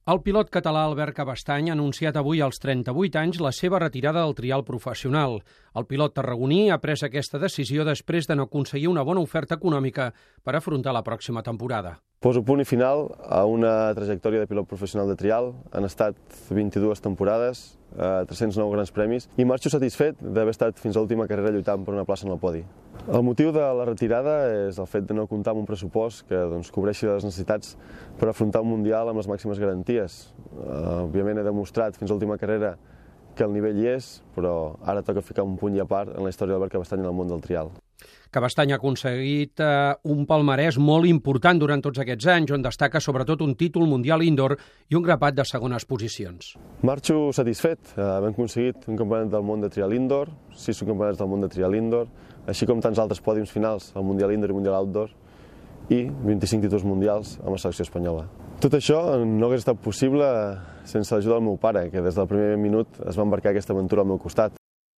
El pilot català Albert Cabestany ha anunciat avui als 38 anys la seva retirada del trial professional. El pilot tarragoní ha pres aquesta decisió després de no aconseguir una bona oferta econòmica per afrontar la pròxima temporada. Poso punt i final a una trajectòria de pilot professional de trial. Han estat 22 temporades, 309 grans premis i marxo satisfet d'haver estat fins a l'última carrera lluitant per una plaça en el podi. El motiu de la retirada és el fet de no comptar amb un pressupost que cobreixi les necessitats per afrontar un mundial amb les màximes garanties. Òbviament he demostrat fins a l'última carrera que el nivell hi és, però ara toca ficar un punt i a part en la història d'Albert Cabestany en el món del trial. Cabestany ha aconseguit un palmarès molt important durant tots aquests anys, on destaca sobretot un títol mundial indoor i un grapat de segones posicions. Marxo satisfet. Hem aconseguit un campionat del món de trial indoor, 6 subcampionats del món de trial indoor, així com tants altres pòdiums finals al mundial indoor i mundial outdoor, i 25 títols mundials amb la selecció espanyola. Tot això no hagués estat possible sense l'ajuda del meu pare, que des del primer minut es va embarcar aquesta aventura al meu costat.